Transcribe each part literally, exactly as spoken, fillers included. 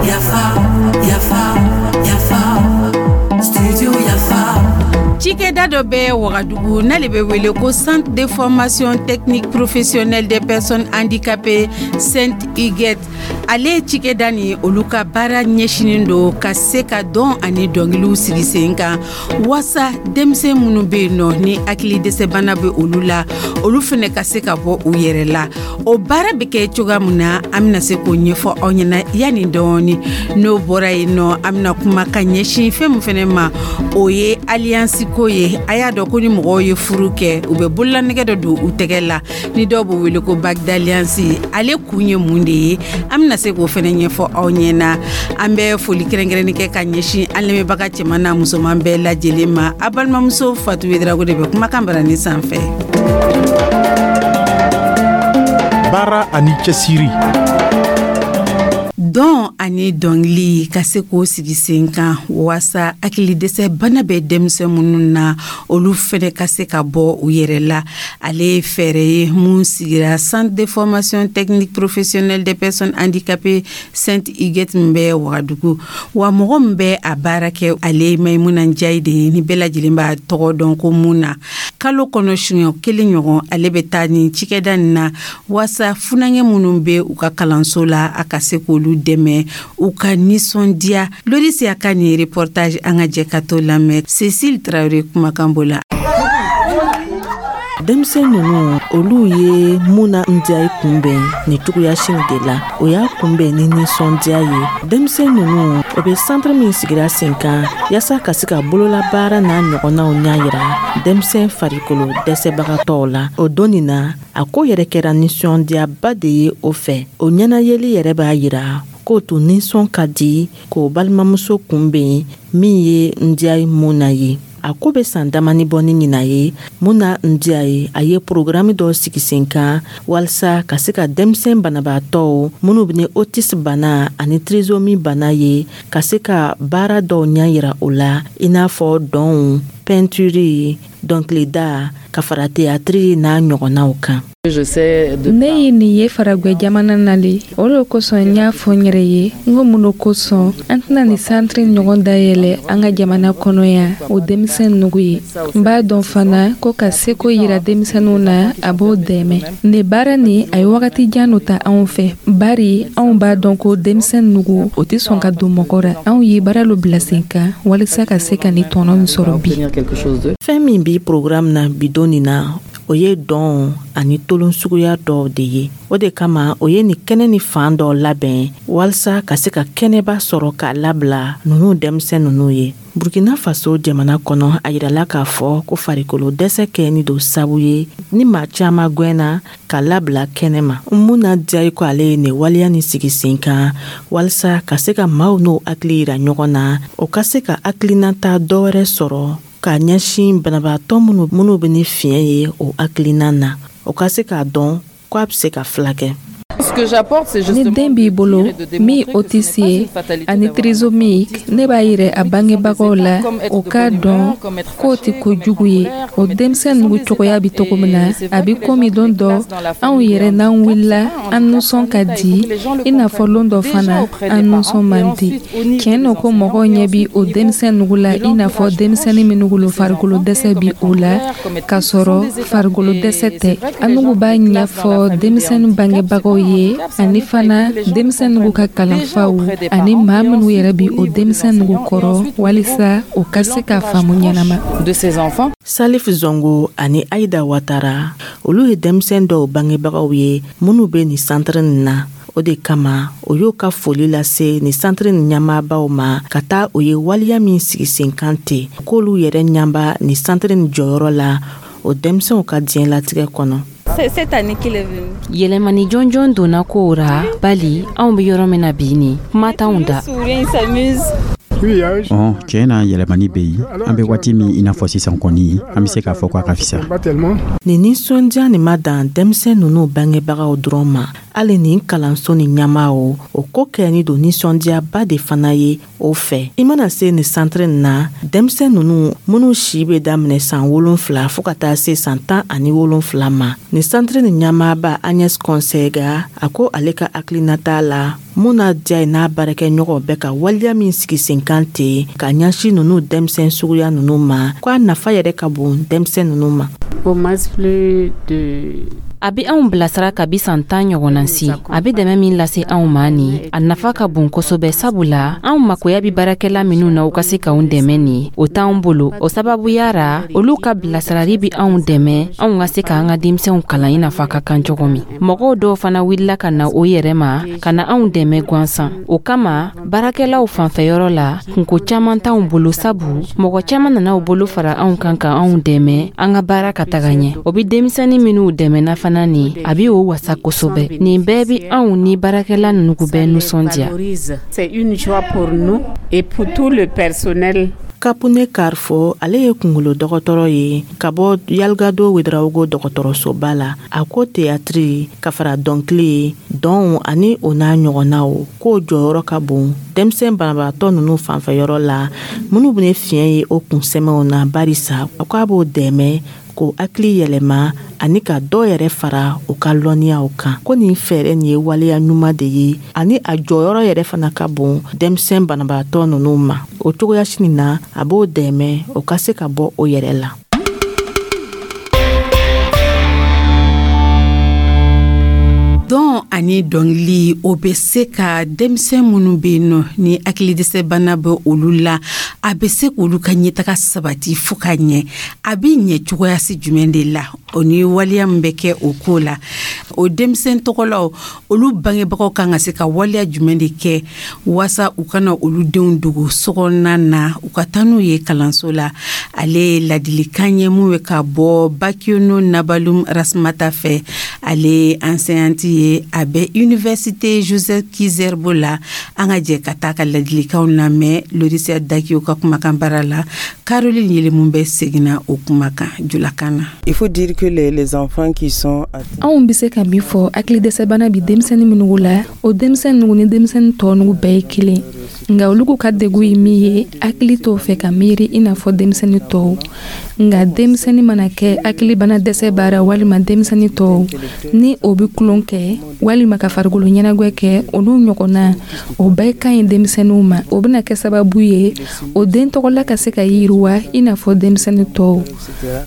Yafa, yafa, yafa, studio Yafa. Cikɛda dɔ bɛ Wagadugu, n'ale bɛ wele ko Centre de formation technique professionnelle des personnes handicapées Sainte Huguette. Ale cikɛda ni olu ka baara ɲɛsinin don ka se ka dɔn ani dɔnkiliw sigi sen kan, waasa denmisɛn minnu bɛ yen nɔ ni hakili dɛsɛbana bɛ olu la, olu fɛnɛ ka se ka bɔ u yɛrɛ la. O baara bɛ kɛ cogoya min na, an bɛna se k'o ɲɛfɔ aw ɲɛna yanni dɔɔni. N'o bɔra yen nɔ, an bɛna kuma ka ɲɛsin fɛn min fɛnɛ ma, o ye alliance ko ye. A y'a dɔn ko ni mɔgɔw ye furu kɛ, u bɛ bololanɛgɛ dɔ don u tɛgɛ la, ni dɔw b'o wele ko bague d'alliance. Ale kun ye mun de ye? An bɛna se k'o fɛnɛ ɲɛfɔ aw ɲɛna. An bɛ foli kɛrɛnkɛrɛnni kɛ ka ɲɛsin an lamɛnbaga cɛman n'a musoman bɛɛ lajɛlen ma. A balimamuso Fatu Wedirago de bɛ kumakan barani sanfɛ. Baara ani cɛsiri. Dɔn ani dɔnkili ka se k'o sigi sen kan, waasa hakili dɛsɛ bana bɛ denmisɛn minnu na, olu fɛnɛ ka se ka bɔ u yɛrɛ la, ale ye fɛɛrɛ ye mun sigira Centre de formation technique professionnelle des personnes handicapées Sainte Huguette min bɛ Wagadugu. Wa mɔgɔ min bɛ a baara kɛ, ale ye Mayimuna Njayi de ye, ni bɛɛ lajɛlen b'a tɔgɔ dɔn ko mun na. Kalo kɔnɔ siɲɛ kelen ɲɔgɔn, ale bɛ taa nin cikɛda nin na, waasa funankɛ minnu bɛ u ka kalanso la, a ka se k'olu dɛmɛ u ka nisɔndiya. Lorisiya ka nin reportage, an ka jɛ ka to lamɛn Cécile Traoré kumakan bɔ. Denmisɛn ninnu, olu ye Muna Ndiaye kunbɛn nin cogoya sini de la. O y'a kunbɛn ni nisɔndiya ye. Denmisɛn ninnu, o bɛ centre min sigira sen kan yaasa ka se ka bololabaara n'a ɲɔgɔnnaw ɲɛ yira denmisɛn farikolo dɛsɛbagatɔw la, o don nin na, a ko yɛrɛ kɛra nisɔndiyaba de ye o fɛ. O ɲɛnayeli yɛrɛ b'a yira k'o tun nisɔn ka di k'o balimamuso kunbɛn min ye Ndiaye Muna ye. A ko bɛ san damani bɔ ni ɲina ye. Muna Ndiaye, a ye programme dɔ sigi sen kan walasa ka se ka denmisɛn banabaatɔw minnu bɛ ni autisme bana ani trisomie bana ye, ka se ka baara dɔw ɲɛ yira o la, i n'a fɔ dɔnw, peinture, dɔnkilida, ka fara théâtre n'a ɲɔgɔnnaw kan. Ne ye nin ye faragwɛ jamana na le. O le kosɔn n y'a fɔ n yɛrɛ ye n ko mun kosɔn an tɛna nin centre ɲɔgɔn dayɛlɛ an ka jamana kɔnɔ yan o denmisɛn nugu ye. N b'a dɔn fana ko ka seko yira denmisɛnninw na, a b'o dɛmɛ. Nin baara nin, a ye wagati jan no ta anw fɛ, bari anw b'a dɔn ko denmisɛn nugu, o tɛ sɔn ka don mɔgɔ ra. Anw ye baara lo bila sen kan walisa ka se ka nin tɔnɔ nin sɔrɔ bi. Fɛn min bi programme na bi don nin na, o ye dɔn ani tolon suguya dɔw de ye. O de kama o ye nin kɛnɛ ni fan dɔ labɛn walasa ka se ka kɛnɛba sɔrɔ k'a labila nunu denmisɛn nunu ye. Burkina Faso jamana kɔnɔ, a yirala k'a fɔ ko farikolo dɛsɛ kɛni don sabu ye ni maa caaman gwɛnna ka labila kɛnɛ ma. Muna Diyayi ko ale ye nin waleya ni sigi sen kan walasa ka se ka maaw n'o hakili yira ɲɔgɔn na, o ka se ka hakilinata dɔwɛrɛ sɔrɔ k'a ɲɛsin banabaatɔ minnu minnu bɛ ni fiɲɛ ye o hakilina na, o ka se k'a dɔn ko a bɛ se ka filakɛ. Ni den b'i bolo min autiste ye ani trisomique, ne b'a yira a bangebagaw la, o k'a dɔn k'o tɛ kojugu ye. O denmisɛn nugu cogoya bɛ cogo min na, a bɛ komi don dɔ anw yɛrɛ n'an wulila, an nisɔn ka di, i n'a fɔ lon dɔ fana an nisɔn man di. Tiɲɛ nɔ ko mɔgɔw ɲɛ bi o denmisɛn nugu la i n'a fɔ denmisɛnnin minnu lo farikolo dɛsɛ bi o la, k'a sɔrɔ farikolo dɛsɛ tɛ. An nugu b'a ɲɛfɔ denmisɛnnin bangebagaw ye, ani fana denmisɛn nugu ka kalanfaw ani maa minnu yɛrɛ bi o denmisɛn nugu kɔrɔ, walisa o ka se ka faamu ɲɛnama. Salif Zongo ani Aida Watara, olu ye denmisɛn dɔw bangebagaw ye minnu bɛ nin centre nin na. O de kama o y'o ka foli lase nin centre nin ɲɛmaabaw ma ka taa o ye waleya min sigi sen kan ten, k'olu yɛrɛ ɲaba nin centre nin jɔyɔrɔ la o denmisɛnw ka diɲɛlatigɛ kɔnɔ. Yɛlɛmani jɔnjɔn donna kow ra, bali anw be yɔrɔ min na bi, ni kuma t'anw da. Ɔn, tiɲɛ na, yɛlɛmani bɛ yen. An bɛ waati min i n'a fɔ sisan kɔni, an bɛ se k'a fɔ k'a ka fisa. Nin nisɔndiya nin ma dan denmisɛn ninnu bangebagaw dɔrɔn ma, hali nin kalanso ni ɲɛmaaw, o ko kɛni don nisɔndiyaba de fana ye o fɛ. I mana se nin santiri nin na, denmisɛn ninnu minnu si bɛ daminɛ san wolonfila fo ka taa se san tan ani wolonfila ma, nin santiri nin ɲɛmaaba Agnès Kɔnsɛga, a ko ale ka hakilinata la, Muna Diya n'a baarakɛɲɔgɔnw bɛ ka waleya min sigi sen kan ten ka ɲɛsin ninnu denmisɛn suguya ninnu ma, ko a nafa yɛrɛ ka bon denmisɛn ninnu ma. A bɛ anw bilasira kabi san tan ɲɔgɔnna si. A bɛ dɛmɛ min lase anw ma nin, a nafa ka bon kosɛbɛ, sabula anw makoya bɛ baarakɛla minnu na u ka se k'anw dɛmɛ nin, o t'anw bolo. O sababuya ra, olu ka bilasirali bɛ anw dɛmɛ anw ka se k'an ka denmisɛnw kalan i n'a fɔ a ka kan cogo min. Mɔgɔw dɔw fana wulila ka na o yɛrɛ ma ka na anw dɛmɛ gansan. O kama, baarakɛlaw fanfɛyɔrɔ la, kunko caman t'anw bolo, sabu mɔgɔ caman nana u bolo fara anw kan ka anw dɛmɛ an ka baara ka taga ɲɛ. O bɛ denmisɛnnin minnu dɛmɛna fana nin, a bɛ o wasa kosɛbɛ. Nin bɛɛ bɛ anw ni baarakɛla ninnu bɛɛ nisɔndiya. C'est une joie pour nous et pour tout le personnel. Kapune Karfo, ale ye kungolo dɔgɔtɔrɔ ye ka bɔ Yalgado Wedarawogo dɔgɔtɔrɔsoba la, a ko teyatiri ka fara dɔnkili, dɔnw ani o n'a ɲɔgɔnnaw, k'o jɔyɔrɔ ka bon denmisɛn banabaatɔ ninnu fanfɛyɔrɔ la minnu bɛ fiɲɛ ye o kunsɛmɛw na, barisa a ko a b'o dɛmɛ k'o hakili yɛlɛma ani ka dɔ yɛrɛ fara u ka lɔnniyaw kan, ko nin fɛɛrɛ nin ye waleya ɲuman de ye ani a jɔyɔrɔ yɛrɛ fana ka bon denmisɛn banabaatɔ ninnu ma. O cogoya sini na, a b'o dɛmɛ o ka se ka bɔ o yɛrɛ la. Dɔn ani dɔnkili, o bɛ se ka denmisɛn minnu bɛ yen nɔ ni hakilidɛsɛbana bɛ olu la, a bɛ se k'olu ka ɲɛtaga sabati fo ka ɲɛ. A bɛ ɲɛ cogoya si jumɛn de la? O ni waleya min bɛ kɛ o ko la, o denmisɛn tɔgɔlaw, olu bangebagaw kan ka se ka waleya jumɛn de kɛ waasa u kana olu denw dogo sokɔnɔna na, u ka taa n'u ye kalanso la? Ale ye ladilikan ye mun bɛ ka bɔ Bakiono Nabalum Rasmata fɛ. Ale ye enseignante ye, a bɛ université Joseph Kizerbo la. An ka jɛ ka taa ka ladilikanw lamɛn Lorisia Dakiyo ka kumakan baara la. Caroline Yelimun bɛ seginna o kumakan julakan na. Il faut dire que les, les enfants qui sont Anw bɛ se ka min fɔ, hakilidɛsɛbana bi denmisɛnnin minnu la, o denmisɛnnin nugu ni denmisɛnnin tɔ nugu bɛɛ ye kelen, nka olu ka degun ye min ye, hakili t'o fɛ ka miiri i n'a fɔ denmisɛnnin tɔw. Nka denmisɛnnin mana kɛ hakilibana dɛsɛ baara walima denmisɛnnin tɔw ni o bɛ tulon kɛ walima ka farikolo ɲɛnajɛ kɛ, olu ɲɔgɔnna, o bɛɛ ka ɲi denmisɛnninw ma. O bɛna kɛ sababu ye o den tɔgɔla ka se ka yiriwa i n'a fɔ denmisɛnnin tɔw.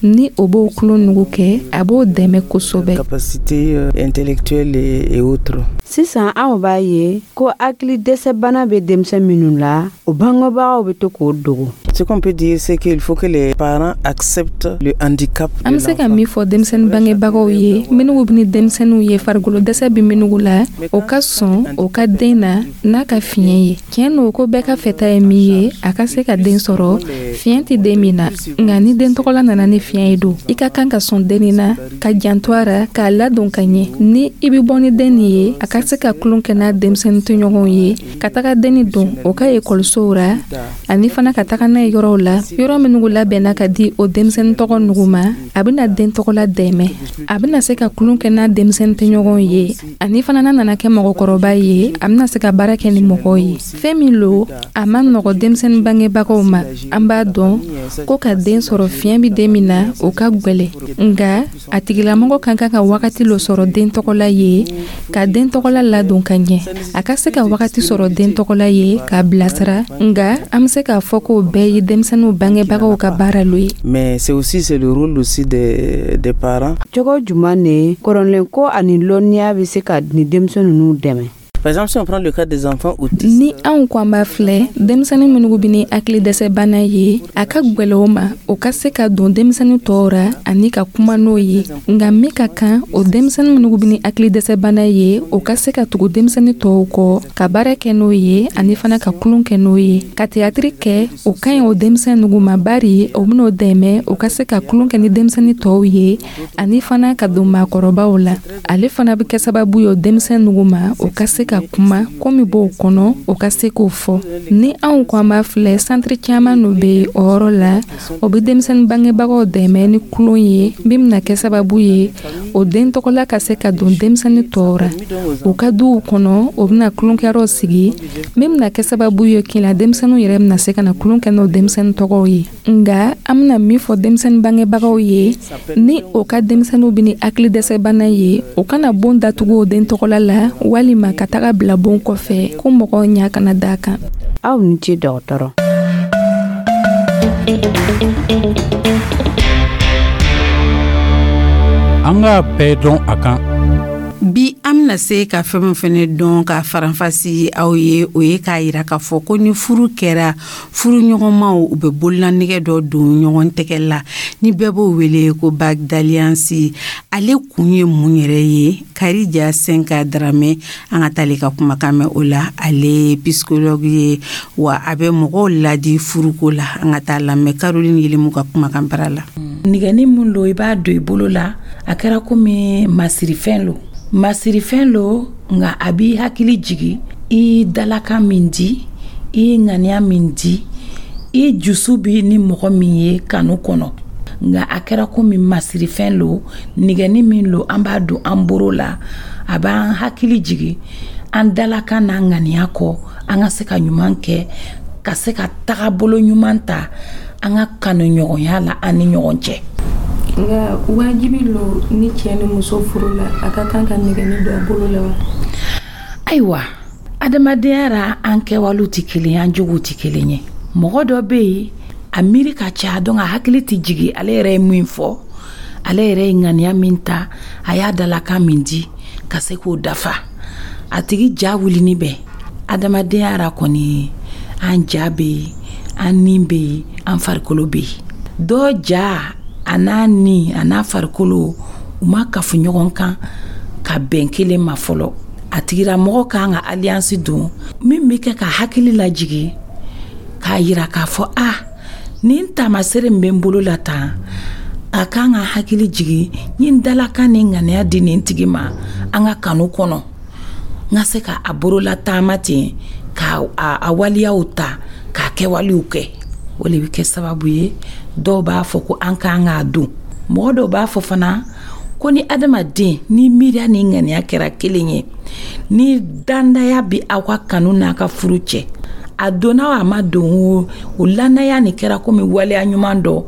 Ni o b'o tulon nugu kɛ, a b'o dɛmɛ kosɛbɛ. Capacité intellectuelle et autres. Sisan anw b'a ye ko hakili dɛsɛbana bɛ denmisɛn minnu la, o bangebagaw bɛ to k'o dogo. Ce qu'on peut dire, c'est qu'il faut que les parents acceptent le handicap. An bɛ se ka min fɔ denmisɛnnin bangebagaw ye minnu bɛ ni denmisɛnninw ye farikolo dɛsɛ bɛ minnu la, o ka sɔn o ka den na n'a ka fiɲɛ ye. Tiɲɛ don ko bɛɛ ka fɛta ye min ye, a ka se ka den sɔrɔ fiɲɛ tɛ den min na, nka ni den tɔgɔla nana ni fiɲɛ ye don, i ka kan ka sɔn den na, ka janto a ra, k'a ladon ka ɲɛ. Ni i bɛ bɔ ni den nin ye, a ka se ka tulon kɛ n'a denmisɛnnin tɔɲɔgɔnw ye, ka taga denni don o ka ekɔlisow ra, ani fana ka taga n'a ye yɔrɔw la, yɔrɔ minnu labɛnna ka di o denmisɛnnin tɔgɔ nugu ma. A bɛna den tɔgɔla dɛmɛ, a bɛna se ka tulon kɛ n'a denmisɛnnin tɔɲɔgɔnw ye, ani fana n'a nana kɛ mɔgɔkɔrɔba ye, a bɛna se ka baara kɛ ni mɔgɔw ye. Fɛn min lo, a ma nɔgɔ denmisɛnnin bangebagaw ma. An b'a dɔn ko ka den sɔrɔ fiɲɛ bɛ den min na, o ka gwɛlɛ, nka a tigilamɔgɔ ka kan ka wagati lo sɔrɔ den tɔgɔla ye, ka den tɔgɔla ladon ka ɲɛ, a ka se ka wagati sɔrɔ den tɔgɔla ye k'a bilasira. Nka an bɛ se k'a fɔ k'o bɛɛ ye denmisɛnninw bangebagaw ka baara lo ye. Mais c'est aussi c'est le rôle aussi des des parents. Cogo jumɛn de kɔrɔlen ko ani lɔnniya bɛ se ka nin denmisɛn ninnu dɛmɛ? Par exemple, si on prend le cas des enfants autistes. Ni anw ko an b'a filɛ, denmisɛnnin minnu bɛ ni hakili dɛsɛbana ye, a ka gwɛlɛ o ma o ka se ka don denmisɛnnin tɔw ra ani ka kuma n'o ye. Nka min ka kan, o denmisɛnnin minnu bɛ ni hakili dɛsɛbana ye, o ka se ka tugu denmisɛnnin tɔw kɔ, ka baara kɛ n'o ye, ani fana ka tulon kɛ n'o ye, ka teyatiri kɛ, o ka ɲi o denmisɛnnin nugu ma, bari o bɛn'o dɛmɛ o ka se ka tulon kɛ ni denmisɛnnin tɔw ye, ani fana ka don maakɔrɔbaw la. Ale fana bɛ kɛ sababu ye o denmisɛnnin nugu ma, o ka se ka kuma ko min b'o kɔnɔ, o ka se k'o fɔ. Ni anw ko an b'a filɛ, santiri caman no bɛ o yɔrɔ la, o bɛ denmisɛnnin bangebagaw dɛmɛ ni tulon ye min bɛna kɛ sababu ye o den tɔgɔla ka se ka don denmisɛnnin tɔw ra u ka duw kɔnɔ. O bɛna tulonkɛyɔrɔ sigi min bɛna kɛ sababu ye kila denmisɛnninw yɛrɛ bɛna se ka na tulon kɛ n'o denmisɛnnin tɔgɔw ye. Nga an bɛna min fɔ denmisɛnnin bangebagaw ye, ni o ka denmisɛnninw bɛ ni hakili dɛsɛbana ye, o kana bon datugu o den tɔgɔla la walima ka taga bila bon kɔfɛ ko mɔgɔw ɲa kana da kan. Aw ni ce, dɔgɔtɔrɔ. An k'a bɛɛ dɔn a kan. Bi, an bɛna se ka fɛn min fɛnɛ dɔn ka faranfasi aw ye, o ye k'a yira k'a fɔ ko ni furu kɛra, furu ɲɔgɔnmaw u bɛ bololanɛgɛ dɔ don ɲɔgɔn tɛgɛ la ni bɛɛ b'o wele ko bague d'alliance. Ale kun ye mun yɛrɛ ye? Karija Senka Daramɛ, an ka taale ka kumakan mɛn o la. Ale ye psychologue ye, wa a bɛ mɔgɔw ladi furuko la. An ka taa lamɛn Caroline Yelemu ka kumakan bara la. Nɛgɛni mun lo, i b'a don i bolo la, a kɛra komi masirifɛn lo, masirifɛn lo, nka a b'i hakili jigi i dalakan min di, i ŋaniya min di, i jusu bi ni mɔgɔ min ye kanu kɔnɔ. Nka a kɛra komi masirifɛn lo, nɛgɛni min lo, an b'a don an boro la, a b'an hakili jigi an dalakan n'an ŋaniya kɔ, an ka se ka ɲuman kɛ, ka se ka tagabolo ɲuman ta an ka kanuɲɔgɔnya la an ni ɲɔgɔn cɛ. Nka wajibi lo ni cɛ ni muso furu la, a ka kan ka nɛgɛni don a bolo la wa? Ayiwa, adamadenya ra, an kɛwalew tɛ kelen ye, an jogow tɛ kelen ye. Mɔgɔ dɔ bɛ yen, a miiri ka ca, donc a hakili tɛ jigi ale yɛrɛ ye min fɔ, ale yɛrɛ ye ŋaniya min ta, a y'a dalakan min di, ka se k'o dafa. A tigi ja wulini bɛ. Adamadenya ra kɔni, an ja bɛ yen, an ni bɛ yen, an farikolo bɛ yen. Dɔ ja a n'a ni a n'a farikolo, u ma kafu ɲɔgɔn kan ka bɛn kelen ma fɔlɔ. A tigilamɔgɔ kan ka alliance don min bɛ kɛ ka hakili lajigi, k'a yira k'a fɔ a nin taamasere min bɛ n bolo la tan, a kan ka hakili jigi n ye dalakan ni ŋaniya di nin tigi ma an ka kanu kɔnɔ, n ka se ka a bolola taama ten, ka a waliyaw ta, k'a kɛwalew kɛ. O de bɛ kɛ sababu ye dɔw b'a fɔ ko an k'an k'a don. Mɔgɔ dɔw b'a fɔ fana ko ni adamaden ni miiriya ni ŋaniya kɛra kelen ye, ni dandaya bɛ aw ka kanu n'a ka furu cɛ, a donna o a ma don o, o lanaya nin kɛra komi waleya ɲuman dɔ,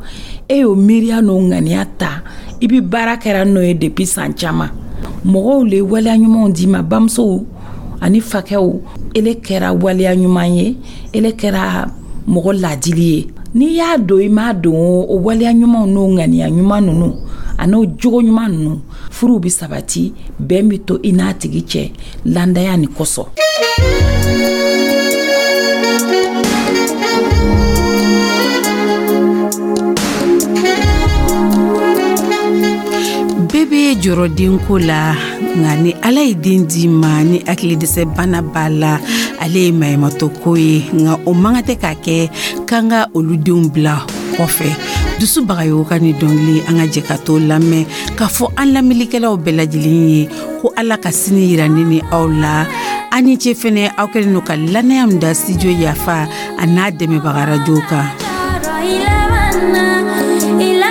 e y'o miiriya n'o ŋaniya ta, i bɛ baara kɛra n'o ye depuis san caman. Mɔgɔw le waleya ɲumanw d'i ma, bamusow ani fakɛw, ele kɛra waleya ɲuman ye, ele kɛra mɔgɔ laadili ye. N'i y'a don, i m'a don, o waleya ɲumanw n'o ŋaniya ɲuman ninnu a n'o jogo ɲuman ninnu, furuw bɛ sabati, bɛn bɛ to i n'a tigi cɛ landaya nin kosɔn. Bɛɛ bɛ jɔrɔ denko la, nka ni Ala ye den d'i ma ni hakili dɛsɛ bana b'a la, ale ye maɲumatɔ ko ye. Nka o man kan tɛ k'a kɛ k'an ka olu denw bila kɔfɛ. Dusu Bagayogo ka ni dɔnkili, an ka jɛ ka t'o lamɛn k'a fɔ an lamɛnnikɛlaw bɛɛ lajɛlen ye ko Ala ka sini yira ne ni aw la. An ni ce fɛnɛ, aw kɛlen don ka lanaya min da Studio Yafa a n'a dɛmɛbaga radio kan. I